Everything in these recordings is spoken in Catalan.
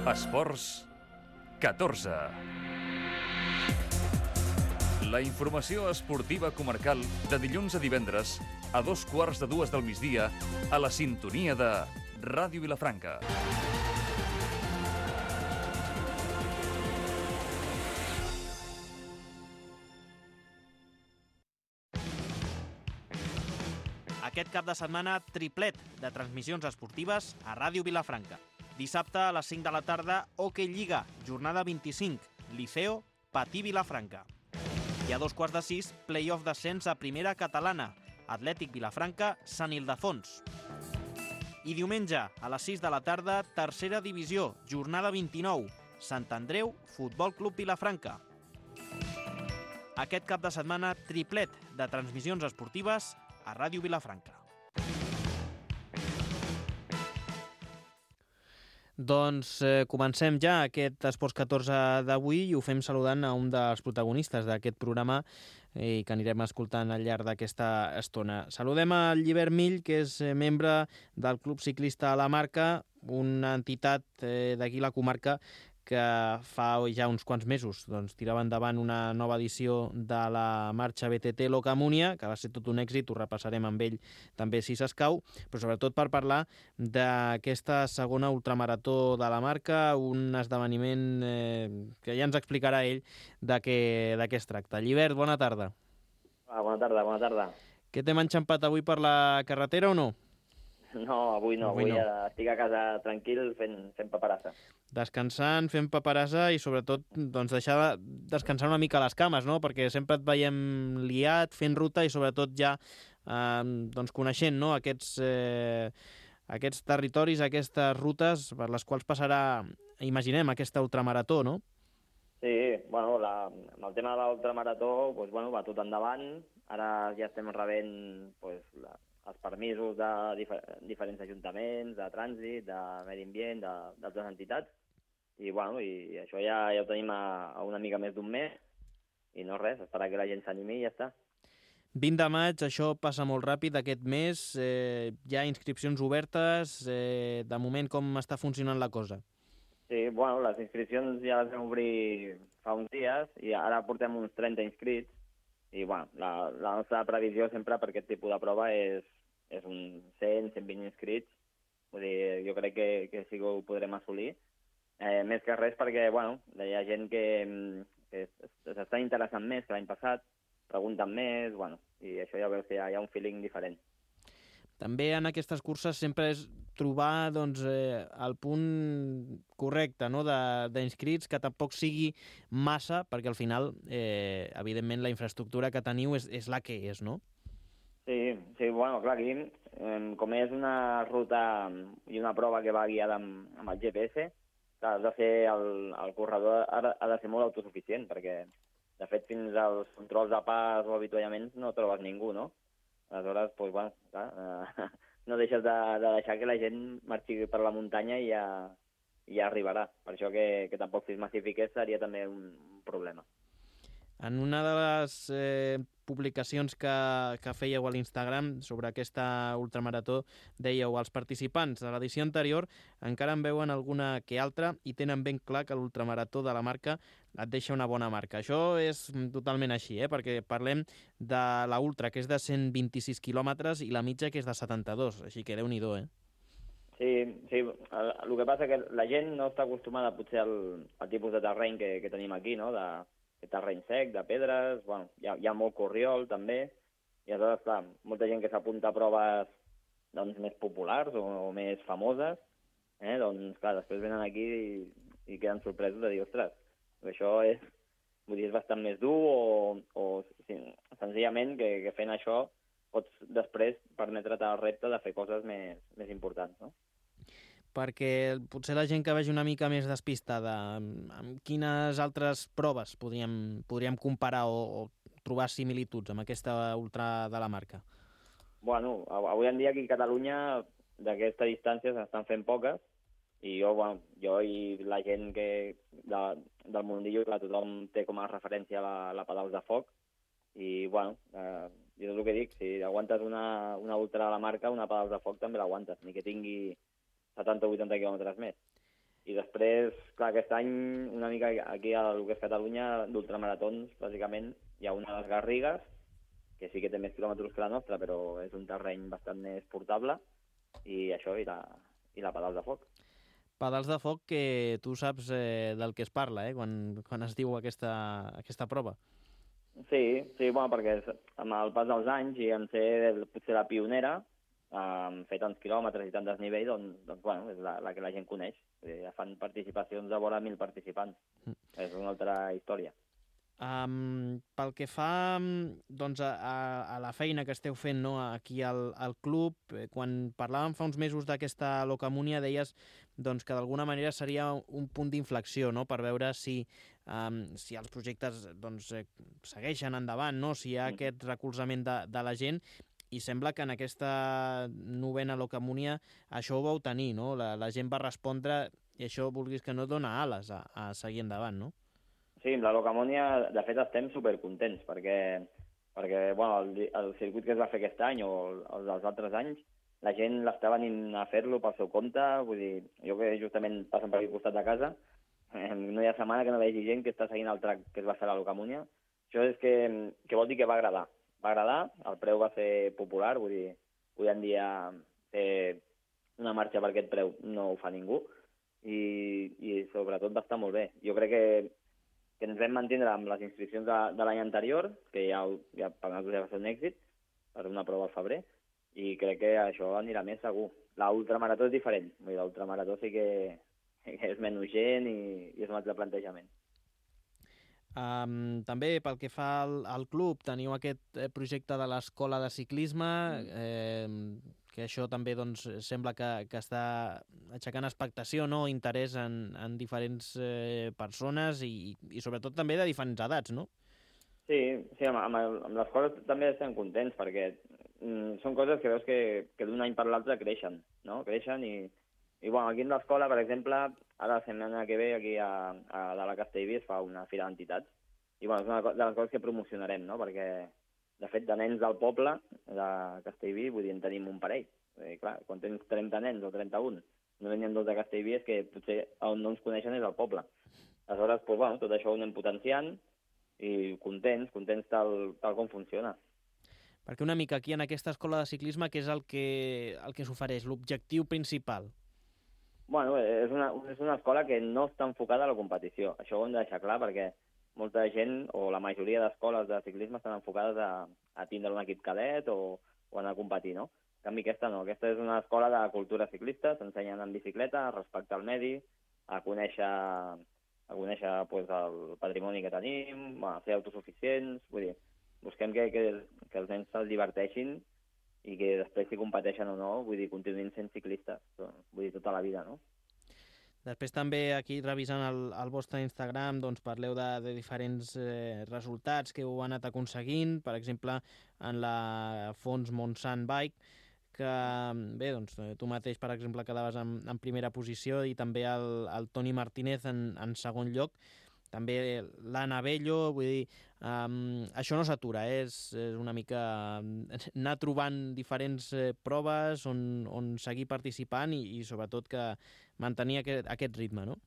Esports 14. La informació esportiva comarcal de dilluns a divendres a 2:15 del migdia a la sintonia de Ràdio Vilafranca. Aquest cap de setmana, triplet de transmissions esportives a Ràdio Vilafranca. Dissabte a les 5 de la tarda, Hockey Lliga, jornada 25, Liceo, Patí Vilafranca. I a 5:15, play-off d'ascens a primera catalana, Atlètic Vilafranca, Sant Ildefons. I diumenge, a les 6 de la tarda, tercera divisió, jornada 29, Sant Andreu, Futbol Club Vilafranca. Aquest cap de setmana, triplet de transmissions esportives a Ràdio Vilafranca. Doncs comencem ja aquest Esports 14 d'avui i ho fem saludant a un dels protagonistes d'aquest programa i que anirem escoltant al llarg d'aquesta estona. Saludem a Llibert Mill, que és membre del Club Ciclista La Marca, una entitat d'aquí la comarca que fa ja uns quants mesos tirava endavant una nova edició de la marxa BTT Locamúnia, que va ser tot un èxit, ho repassarem amb ell també si s'escau, però sobretot per parlar d'aquesta segona ultramarató de la marca, un esdeveniment que ja ens explicarà ell de què es tracta. Llibert, bona tarda. Bona tarda. Què t'hem enxampat avui per la carretera o no? No, avui no. Avui estic a casa tranquil fent paperassa. Descansant, fent paperassa i sobretot deixar descansar una mica les cames, no? Perquè sempre et veiem liat, fent ruta i sobretot ja coneixent, no? Aquests territoris, aquestes rutes per les quals passarà, imaginem, aquesta ultramarató, no? Sí, bueno, amb el tema de l'ultramarató va tot endavant. Ara ja estem rebent els permisos de diferents ajuntaments, de trànsit, de medi ambient, d'altres entitats. I això ja ho tenim a una mica més d'un mes. I no res, esperar que la gent s'animi i ja està. 20 de maig, això passa molt ràpid aquest mes. Hi ha inscripcions obertes. De moment, com està funcionant la cosa? Sí, les inscripcions ja les vam obrir fa uns dies i ara portem uns 30 inscrits. I la nostra previsió sempre per aquest tipus de prova és un 100, 120 inscrits. Vull dir, jo crec que sí que ho podrem assolir. Més que res perquè hi ha gent que s'està interessant més que l'any passat, pregunten més, i això ja veus que hi ha un feeling diferent. També en aquestes curses sempre és trobar el punt correcte, no? d'inscrits, que tampoc sigui massa, perquè al final, evidentment, la infraestructura que teniu és la que és, no? Sí, clar, aquí, com és una ruta i una prova que va guiada amb el GPS, has de fer el corredor ha de ser molt autosuficient, perquè, de fet, fins als controls de pas o avituallaments no trobes ningú, no? Aleshores, no deixes de deixar que la gent marxi per la muntanya i ja arribarà. Per això que tampoc si es massifiqués seria també un problema. En una de les publicacions que fèieu a l'Instagram sobre aquesta ultramarató dèieu els participants de l'edició anterior encara en veuen alguna que altra i tenen ben clar que l'ultramarató de la marca et deixa una bona marca. Això és totalment així, perquè parlem de la ultra, que és de 126 quilòmetres, i la mitja, que és de 72, així que Déu-n'hi-do, Sí, el que passa que la gent no està acostumada potser al tipus de terreny que tenim aquí, no?, de terreny sec, de pedres, hi ha molt corriol també, i aleshores, clar, molta gent que s'apunta a proves més populars o més famoses, clar, després venen aquí i queden sorpresos de dir, ostres, això és bastant més dur o senzillament que fent això pots després permetre't el repte de fer coses més importants, no? Perquè potser la gent que vegi una mica més despistada, amb quines altres proves podríem comparar o trobar similituds amb aquesta ultra de la marca? Avui en dia aquí a Catalunya d'aquesta distància s'estan fent poques i jo i la gent del mundillo, clar, tothom té com a referència la Pedals de Foc i, jo és el que dic, si aguantes una ultra de la marca, una Pedals de Foc també l'aguantes, ni que tingui 70 o 80 quilòmetres més. I després, clar, aquest any, una mica aquí a lo que és Catalunya, d'ultramaratons, bàsicament, hi ha una de les Garrigues, que sí que té més quilòmetres que la nostra, però és un terreny bastant més portable, i això, i la Pedals de Foc. Pedals de foc que tu saps del que es parla, quan es diu aquesta prova. Sí, bueno, perquè amb el pas dels anys i en ser potser la pionera, fer tants quilòmetres i tant desnivell, doncs bueno, és la que la gent coneix. Ja fan participacions de vora 1.000 participants. És una altra història. Pel que fa doncs, a la feina que esteu fent, no, aquí al club, quan parlàvem fa uns mesos d'aquesta Locamunia deies doncs, que d'alguna manera seria un punt d'inflexió, no?, per veure si els projectes doncs, segueixen endavant, no?, si hi ha aquest recolzament de la gent, i sembla que en aquesta novena Locamunia això ho vau tenir, no? La gent va respondre i això, vulguis que no, dona ales a seguir endavant, no? Sí, amb la Locamunia, de fet, estem supercontents, perquè bueno, el circuit que es va fer aquest any o els dels altres anys, la gent l'està venint a fer-lo pel seu compte, vull dir, jo que justament passen per aquí al costat de casa, no hi ha setmana que no vegi gent que està seguint el track que es va fer a la Locamunia. Això és que vol dir que va agradar. Va agradar, el preu va ser popular, vull dir, avui en dia fer una marxa per aquest preu no ho fa ningú, i sobretot va estar molt bé. Jo crec que ens vam mantindre amb les inscripcions de l'any anterior, que ja per nosaltres ja va ser un èxit, per una prova al febrer, i crec que això anirà més segur. L'ultramarató és diferent, l'ultramarató sí que és menys gent i és un altre plantejament. També pel que fa al club, teniu aquest projecte de l'escola de ciclisme, que això també doncs, sembla que està aixecant expectació, no?, interès en diferents persones i sobretot també de diferents edats, no? Sí, amb l'escola també estem contents perquè són coses que veus que d'un any per l'altre creixen, no? Creixen i bueno, aquí en l'escola, per exemple, ara la setmana que ve aquí a la Castellví es fa una fira d'entitats i bueno, és una de les coses que promocionarem, no? Perquè, de fet, de nens del poble de Castellví, vull dir, en tenim un parell. Clar, quan tens 30 nens o 31, no venien dos de Castellví, és que potser on no ens coneixen és el poble. Aleshores, doncs, bueno, tot això ho anem potenciant i contents tal com funciona. Perquè una mica aquí en aquesta escola de ciclisme, què és el que s'ofereix, l'objectiu principal? Bueno, és una escola que no està enfocada a la competició. Això ho hem de deixar clar perquè molta gent, o la majoria d'escoles de ciclisme estan enfocades a tindre un equip cadet o anar a competir, no? En canvi, aquesta no. Aquesta és una escola de cultura ciclista, s'ensenyen en bicicleta, a respectar el medi, a conèixer pues, el patrimoni que tenim, a ser autosuficients, vull dir, busquem que els nens se'ls diverteixin i que després si competeixen o no, vull dir, continuïn sent ciclistes, vull dir, tota la vida, no? Després també aquí revisant el vostre Instagram doncs parleu de diferents resultats que heu anat aconseguint, per exemple en la Fons Montsant Bike, que bé, doncs tu mateix per exemple quedaves en primera posició i també el Toni Martínez en segon lloc, també l'Anna Bello, vull dir, això no s'atura, és una mica anar trobant diferents proves on seguir participant i sobretot que mantenir aquest ritme, no?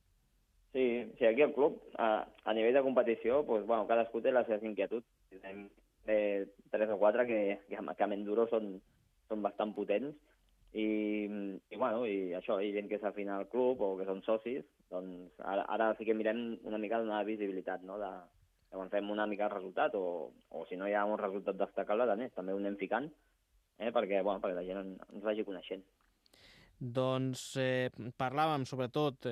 Sí, aquí al club, a nivell de competició, doncs, bueno, cadascú té les seves inquietuds. Tenim 3 o 4 que amb enduro són bastant potents i bueno, i això, hi ha gent que s'afina al club o que són socis, doncs ara sí que mirem una mica de donar visibilitat, no?, de quan fem una mica el resultat o si no hi ha un resultat destacable, també ho anem ficant, perquè la gent ens vagi coneixent. Doncs parlàvem sobretot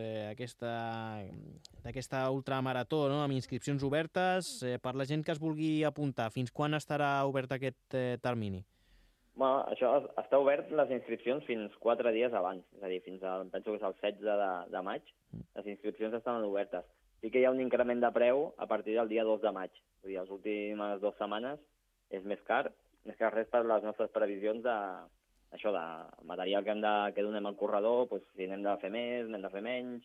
d'aquesta ultramarató, no?, amb inscripcions obertes, per la gent que es vulgui apuntar. Fins quan estarà obert aquest termini? Bueno, això està obert les inscripcions fins 4 dies abans, és a dir, penso que és el 16 de maig, les inscripcions estan obertes. Sí que hi ha un increment de preu a partir del dia 2 de maig, vull dir, les últimes 2 setmanes és més car res per les nostres previsions de material que donem al corredor, doncs, si n'hem de fer més, n'hem de fer menys,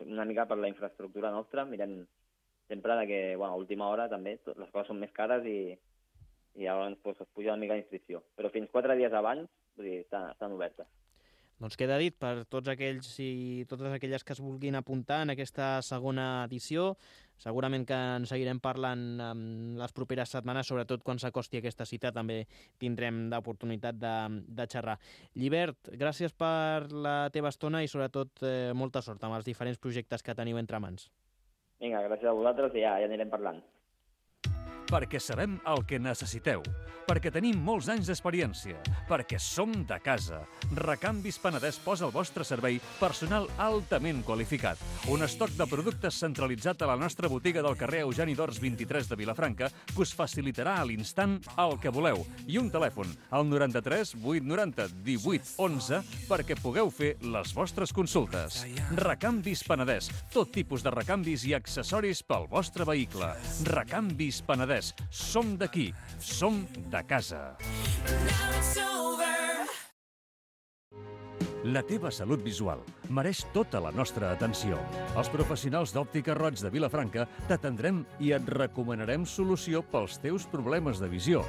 una mica per la infraestructura nostra, mirem sempre que a última hora també les coses són més cares i llavors es puja una mica l'inscripció. Però fins 4 dies abans, vull dir, estan obertes. Doncs queda dit per tots aquells i totes aquelles que es vulguin apuntar en aquesta segona edició. Segurament que en seguirem parlant en les properes setmanes, sobretot quan s'acosti aquesta cita també tindrem l'oportunitat de xerrar. Llibert, gràcies per la teva estona i sobretot molta sort amb els diferents projectes que teniu entre mans. Vinga, gràcies a vosaltres i ja anirem parlant. Perquè sabem el que necessiteu, perquè tenim molts anys d'experiència, perquè som de casa. Recanvis Penedès posa al vostre servei personal altament qualificat. Un estoc de productes centralitzat a la nostra botiga del carrer Eugeni d'Ors 23 de Vilafranca que us facilitarà a l'instant el que voleu. I un telèfon, al 93 890 18 11, perquè pugueu fer les vostres consultes. Recanvis Penedès, tot tipus de recanvis i accessoris pel vostre vehicle. Recanvis Penedès. Som d'aquí, som de casa. La teva salut visual mereix tota la nostra atenció. Els professionals d'Òptica Roig de Vilafranca t'atendrem i et recomanarem solució pels teus problemes de visió.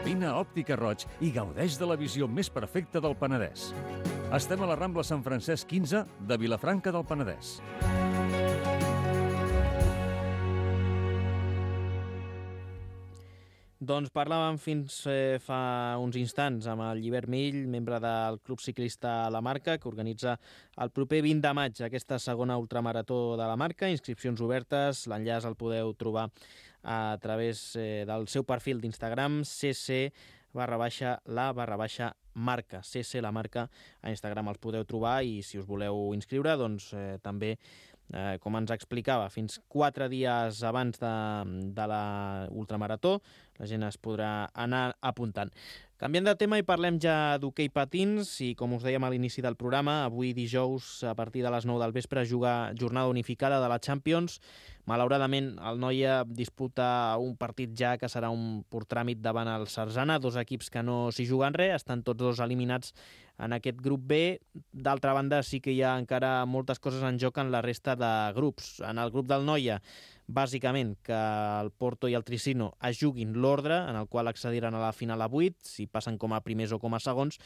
Vine a Òptica Roig i gaudeix de la visió més perfecta del Penedès. Estem a la Rambla Sant Francesc 15 de Vilafranca del Penedès. Doncs parlàvem fins fa uns instants amb el Llibert Mill, membre del Club Ciclista La Marca, que organitza el proper 20 de maig aquesta segona ultramarató de la Marca. Inscripcions obertes, l'enllaç el podeu trobar a través del seu perfil d'Instagram, cc_la_marca. CC La Marca a Instagram els podeu trobar i si us voleu inscriure, doncs també com ens explicava, fins 4 dies abans de la ultramarató, la gent es podrà anar apuntant. Canviant de tema i parlem ja d'hoquei patins i, com us dèiem a l'inici del programa, avui dijous, a partir de les 9 del vespre, juga jornada unificada de la Champions. Malauradament, el Noia disputa un partit ja que serà un pur tràmit davant el Sarzana, dos equips que no s'hi juguen res, estan tots dos eliminats en aquest grup B. D'altra banda, sí que hi ha encara moltes coses en joc en la resta de grups. En el grup del Noia, bàsicament que el Porto i el Tricino es juguin l'ordre en el qual accediran a la final a 8, si passen com a primers o com a segons,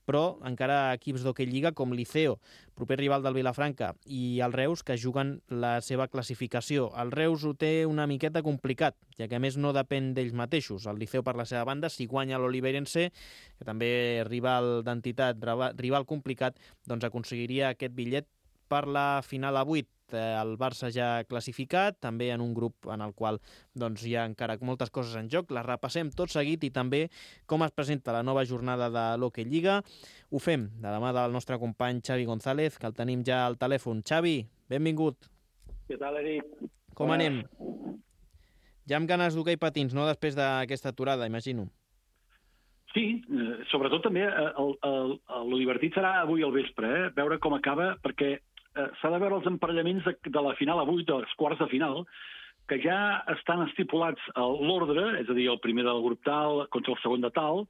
però encara equips d'hoquei lliga com l'Iceo, proper rival del Vilafranca, i el Reus, que juguen la seva classificació. El Reus ho té una miqueta complicat, ja que a més no depèn d'ells mateixos. El Liceo, per la seva banda, si guanya l'Oliveirense, que també rival d'entitat, rival complicat, doncs aconseguiria aquest bitllet per la final a 8. El Barça ja classificat, també en un grup en el qual doncs, hi ha encara moltes coses en joc. Les repassem tot seguit i també com es presenta la nova jornada de l'Hockey Lliga. Ho fem de la mà del nostre company Xavi González, que el tenim ja al telèfon. Xavi, benvingut. Què tal, Eric? Com anem? Ja amb ganes d'hoquei patins, no? Després d'aquesta aturada, imagino. Sí, sobretot també el divertit serà avui al vespre, veure com acaba, perquè s'ha de veure els emparellaments de la final avui, dels quarts de final, que ja estan estipulats a l'ordre, és a dir, el primer del grup tal contra el segon de tal,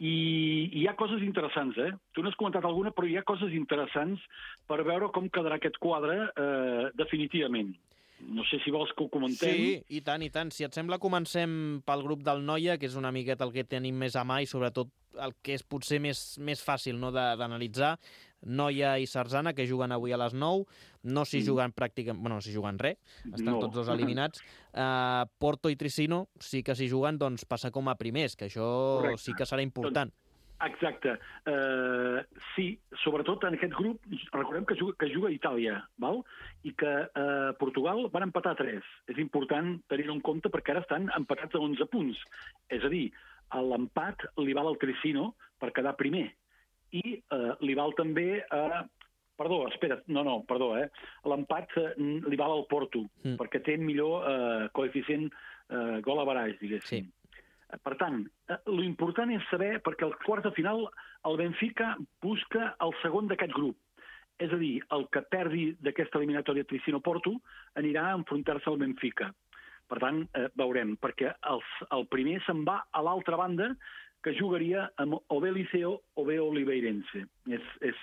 i hi ha coses interessants, Tu n'has comentat alguna, però hi ha coses interessants per veure com quedarà aquest quadre definitivament. No sé si vols que ho comentem. Sí, i tant, i tant. Si et sembla, comencem pel grup del Noia, que és una miqueta el que tenim més a mà i sobretot el que és potser més fàcil no, d'analitzar. Noia i Sarzana, que juguen avui a les 9, no s'hi juguen pràcticament... Bueno, no s'hi juguen res, estan tots dos eliminats. Porto i Tricino sí que s'hi juguen, doncs passa com a primers, que això correcte. Sí que serà important. Exacte. Sí, sobretot en aquest grup, recordem que juga a Itàlia, val? I que Portugal van empatar 3. És important tenir-ho en compte perquè ara estan empatats a 11 punts. És a dir, l'empat li val al Tricino per quedar primer. I li val també a... Perdó. L'empat li val al Porto, perquè té millor coeficient gol average, diguéssim. Sí. Per tant, l'important és saber, perquè al quart de final el Benfica busca el segon d'aquest grup. És a dir, el que perdi d'aquesta eliminatòria Tricino-Porto anirà a enfrontar-se al Benfica. Per tant, veurem, perquè el primer se'n va a l'altra banda, que jugaria amb o bé Liceo o bé Oliveirense. És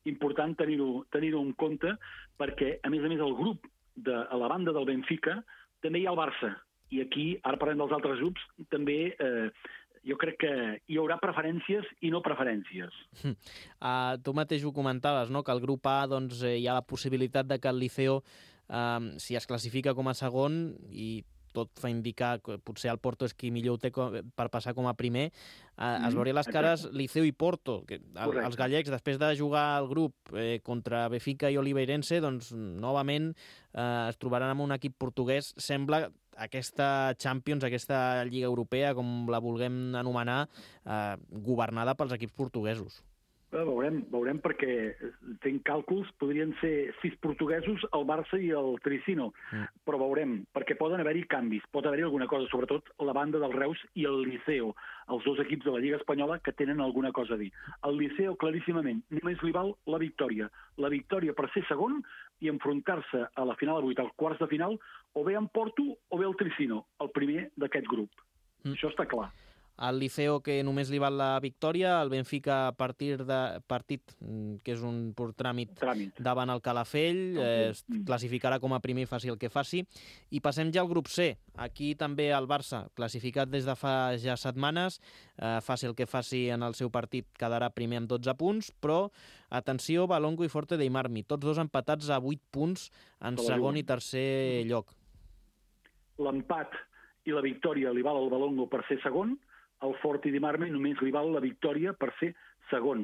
important tenir-ho en compte, perquè, a més, el grup a la banda del Benfica també hi ha el Barça. I aquí, ara parlem dels altres grups, també jo crec que hi haurà preferències i no preferències. Tu mateix ho comentaves, no? Que al grup A doncs, hi ha la possibilitat de que el Liceo, si es classifica com a segon, i tot fa indicar que potser el Porto és qui millor ho té per passar com a primer, es veuria les cares Liceo i Porto. Que els gallecs, després de jugar al grup contra Benfica i Oliveirense, doncs novament es trobaran amb un equip portuguès. Sembla aquesta Champions, aquesta Lliga Europea, com la vulguem anomenar, governada pels equips portuguesos. Veurem perquè fent càlculs podrien ser 6 portuguesos, el Barça i el Tricino, però veurem, perquè poden haver-hi canvis, pot haver-hi alguna cosa, sobretot la banda del Reus i el Liceo, els dos equips de la Lliga Espanyola que tenen alguna cosa a dir. El Liceo, claríssimament, només li val la victòria per ser segon i enfrontar-se a la final de 8, als quarts de final, o bé en Porto o bé el Tricino, el primer d'aquest grup. Això està clar. El Liceo, que només li val la victòria, el Benfica a partit, que és un pur tràmit davant el Calafell, es classificarà com a primer i faci el que faci. I passem ja al grup C. Aquí també el Barça, classificat des de fa ja setmanes, faci el que faci en el seu partit, quedarà primer amb 12 punts, però, atenció, Valongo i Forte dei Marmi, tots dos empatats a 8 punts en segon i tercer lloc. L'empat i la victòria li val al Valongo per ser segon, el Forte dei Marmi només li val la victòria per ser segon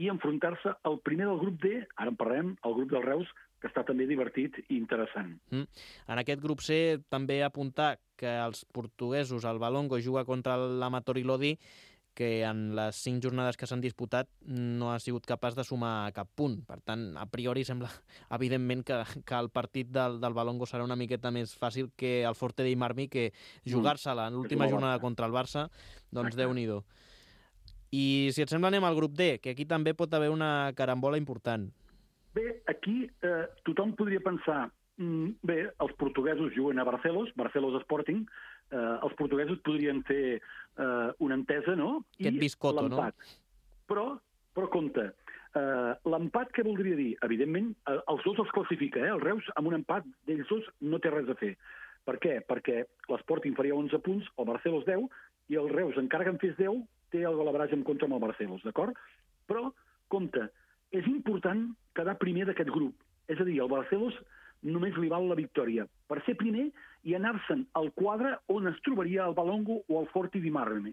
i enfrontar-se al primer del grup D, ara en parlem, el grup del Reus, que està també divertit i interessant. En aquest grup C també apuntar que els portuguesos, el Valongo, juga contra l'Amatori Lodi, que en les 5 jornades que s'han disputat no ha sigut capaç de sumar cap punt. Per tant, a priori sembla, evidentment, que el partit del Valongo serà una miqueta més fàcil que el Forte dei Marmi, que jugar-se-la en l'última jornada contra el Barça, doncs Déu-n'hi-do. I si et sembla anem al grup D, que aquí també pot haver una carambola important. Bé, aquí tothom podria pensar, els portuguesos juguen a Barcelos Sporting, els portuguesos podrien fer una entesa, no? Aquest biscotto, no? Però compte, l'empat què voldria dir? Evidentment, els dos els classifica, el Reus amb un empat d'ells dos no té res a fer. Per què? Perquè l'Sporting faria 11 punts, el Barcelos 10, i el Reus, encara que en fes 10, té el golaveratge en contra amb el Barcelos, d'acord? Però, compte, és important quedar primer d'aquest grup. És a dir, el Barcelos només li val la victòria per ser primer i anar-se'n al quadre on es trobaria el Valongo o el Forte dei Marmi.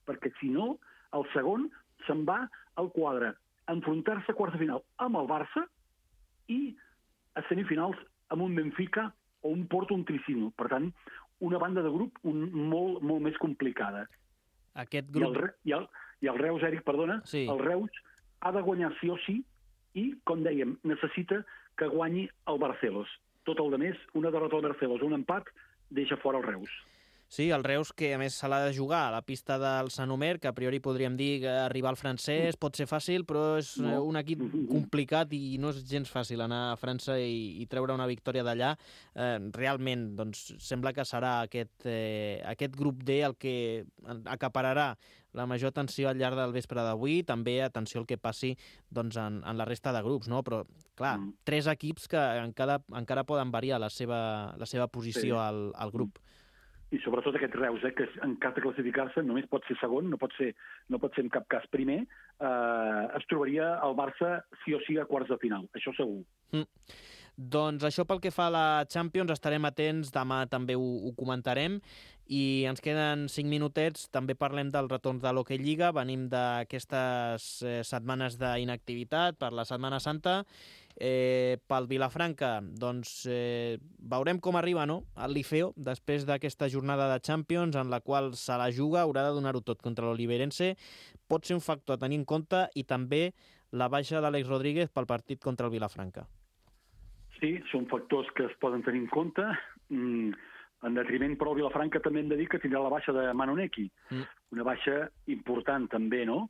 Perquè, si no, el segon se'n va al quadre a enfrontar-se a quarts de final amb el Barça i a semifinals amb un Benfica o un Porto o un Tricino. Per tant, una banda de grup molt, molt més complicada. Aquest grup... I el Reus, Eric, perdona, sí. El Reus ha de guanyar sí o sí i, com dèiem, necessita que guanyi el Barcelos. Tot el de més, una derrota al Barcelos, un empat, deixa fora el Reus. Sí, el Reus, que a més se l'ha de jugar a la pista del Sant Omer, que a priori podríem dir que arribar al francès pot ser fàcil, però és un equip complicat i no és gens fàcil anar a França i treure una victòria d'allà. Realment, doncs, sembla que serà aquest grup D el que acapararà la major atenció al llarg del vespre d'avui, també atenció al que passi doncs, en la resta de grups, no? Però, clar, 3 equips que encara poden variar la seva posició al grup. I sobretot aquest Reus, que en cas de classificar-se només pot ser segon, no pot ser en cap cas primer, es trobaria el Barça sí o sí a quarts de final, això segur. Doncs això pel que fa a la Champions, estarem atents, demà també ho comentarem, i ens queden 5 minutets, també parlem del retorn de l'Hockey Lliga, venim d'aquestes setmanes d'inactivitat per la Setmana Santa. Pel Vilafranca, doncs veurem com arriba, no?, el Liceo després d'aquesta jornada de Champions en la qual se la juga, haurà de donar-ho tot contra l'Oliveirense. Pot ser un factor a tenir en compte, i també la baixa d'Àlex Rodríguez pel partit contra el Vilafranca. Sí, són factors que es poden tenir en compte. En detriment, però, el Vilafranca també hem de dir que tindrà la baixa de Manoneki. Una baixa important també, no?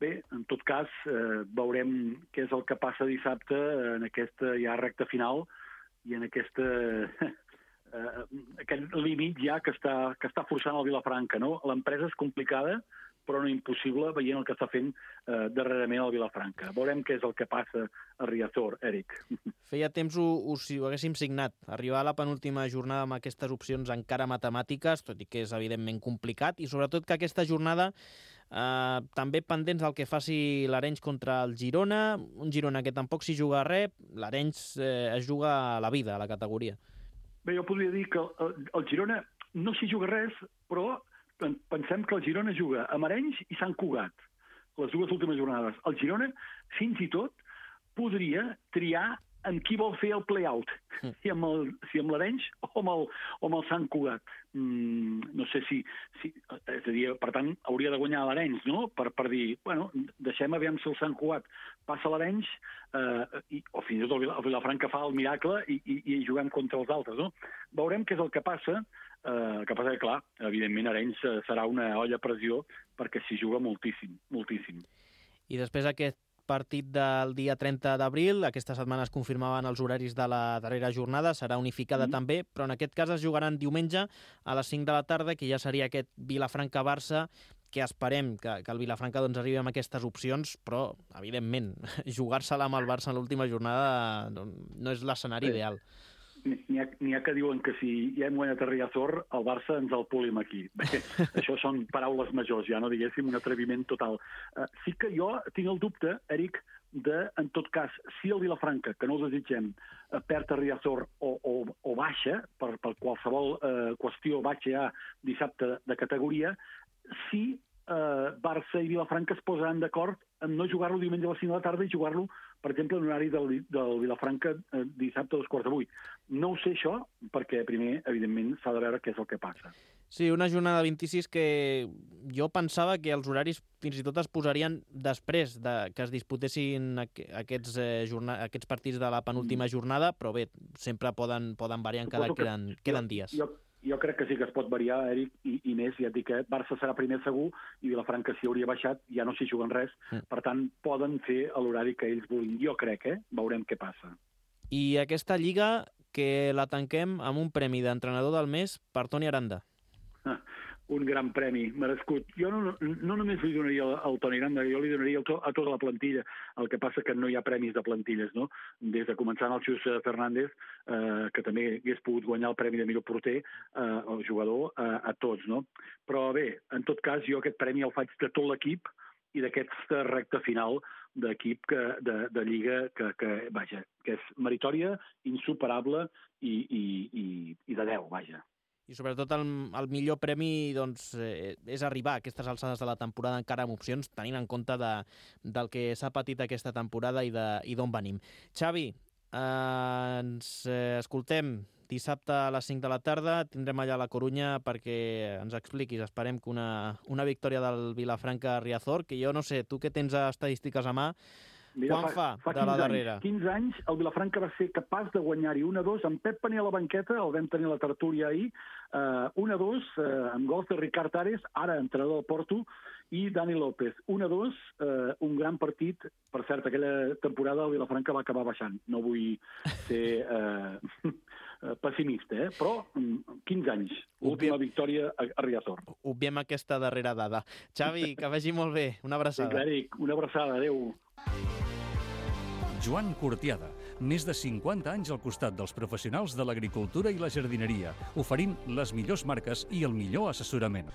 Bé, en tot cas, veurem què és el que passa dissabte en aquesta ja recta final i en aquest límit ja que està forçant el Vilafranca, no? L'empresa és complicada però no impossible, veient el que està fent darrerament el Vilafranca. Veurem què és el que passa a Riazor, Eric. Feia temps ho haguéssim signat. Arribar a la penúltima jornada amb aquestes opcions encara matemàtiques, tot i que és evidentment complicat, i sobretot que aquesta jornada també pendents del que faci l'Arenys contra el Girona, un Girona que tampoc s'hi juga res, l'Arenys es juga a la vida, a la categoria. Bé, jo podria dir que el Girona no s'hi juga res, però pensem que el Girona juga amb Arenys i Sant Cugat, les dues últimes jornades. El Girona, fins i tot, podria triar en qui vol fer el play-out, si amb l'Arenys o amb el Sant Cugat. No sé si... És a dir, per tant, hauria de guanyar l'Arenys, no? Per dir, bueno, deixem aviam si el Sant Cugat passa l'Arenys o fins i tot el Vilafranca fa el miracle i juguem contra els altres, no? Veurem què és el que passa. El que passa que, clar, evidentment Arenys serà una olla a pressió perquè s'hi juga moltíssim, moltíssim. I després aquest partit del dia 30 d'abril, aquesta setmana es confirmaven els horaris de la darrera jornada, serà unificada també, però en aquest cas es jugaran diumenge a les 5 de la tarda, que ja seria aquest Vilafranca-Barça, que esperem que el Vilafranca doncs, arribi amb aquestes opcions, però, evidentment, jugar-se-la amb el Barça en l'última jornada no és l'escenari ideal. N'hi ha que diuen que si ja hem guanyat a Riazor, el Barça ens el polim aquí. Bé, això són paraules majors, ja no diguéssim un atreviment total. Sí que jo tinc el dubte, Eric, en tot cas, si el Vilafranca, que no ho desitgem, perd a Riazor o baixa, per qualsevol qüestió baixa ja dissabte de categoria, si Barça i Vilafranca es posaran d'acord en no jugar-lo diumenge a les 5 de la tarda i jugar-lo, per exemple, en horari del Vilafranca dissabte a 7:45. No ho sé això, perquè primer, evidentment, s'ha de veure què és el que passa. Sí, una jornada 26 que jo pensava que els horaris fins i tot es posarien després que es disputessin aquests partits de la penúltima jornada, però bé, sempre poden variar encara queden dies. Jo crec que sí que es pot variar, Eric, i més, ja et dic que Barça serà primer segur i Vilafranca s'hi hauria baixat, ja no s'hi juguen res, per tant, poden fer l'horari que ells vulguin. Jo crec, veurem què passa. I aquesta lliga que la tanquem amb un premi d'entrenador del mes per Toni Aranda. Un gran premi, merescut. Jo no només li donaria al Toni Aranda, jo li donaria a tota la plantilla. El que passa que no hi ha premis de plantilles, no? Des de començant el Xus Fernández, que també hagués pogut guanyar el premi de millor porter, el jugador, a tots, no? Però bé, en tot cas, jo aquest premi el faig de tot l'equip i d'aquesta recta final d'equip de Lliga que és meritòria, insuperable i de 10, vaja. I sobretot el millor premi doncs, és arribar a aquestes alçades de la temporada encara amb opcions, tenint en compte del que s'ha patit aquesta temporada i d'on venim. Xavi, ens escoltem dissabte a les 5 de la tarda, tindrem allà a la Corunya perquè ens expliquis, esperem que una victòria del Vilafranca a Riazor, que jo no sé, tu que tens estadístiques a mà, mira, quan fa de la darrera? 15 anys, el Vilafranca va ser capaç de guanyar-hi 1-2, amb Pep Pané a la banqueta, el vam tenir a la tertúlia ahir, 1-2, amb gols de Ricard Ares, ara entrenador del Porto, i Dani López. 1-2, un gran partit. Per cert, aquella temporada el Vilafranca va acabar baixant. No vull ser pessimista, però 15 anys. Última victòria a Riazor. Obviem aquesta darrera dada. Xavi, que vagi molt bé. Una abraçada. Sí, Eric, una abraçada. Adéu. Joan Cortiada, més de 50 anys al costat dels professionals de l'agricultura i la jardineria, oferint les millors marques i el millor assessorament.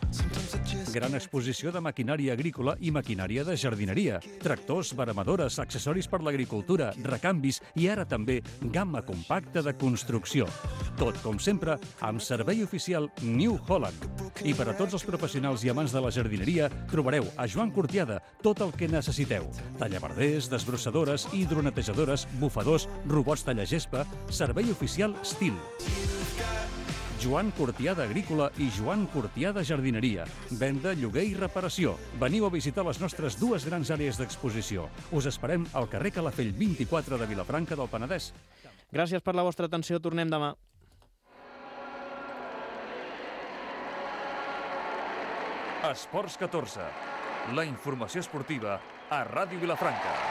Gran exposició de maquinària agrícola i maquinària de jardineria, tractors, veremadores, accessoris per l'agricultura, recanvis i ara també gamma compacta de construcció. Tot, com sempre, amb servei oficial New Holland. I per a tots els professionals i amants de la jardineria trobareu a Joan Cortiada tot el que necessiteu. Tallaverders, desbrossadores, hidronetejadores, bufadors, robots tallagespa, servei oficial Stihl. Joan Cortiada Agrícola i Joan Cortiada Jardineria. Venda, lloguer i reparació. Veniu a visitar les nostres dues grans àrees d'exposició. Us esperem al carrer Calafell 24 de Vilafranca del Penedès. Gràcies per la vostra atenció. Tornem demà. Esports 14. La informació esportiva a Ràdio Vilafranca.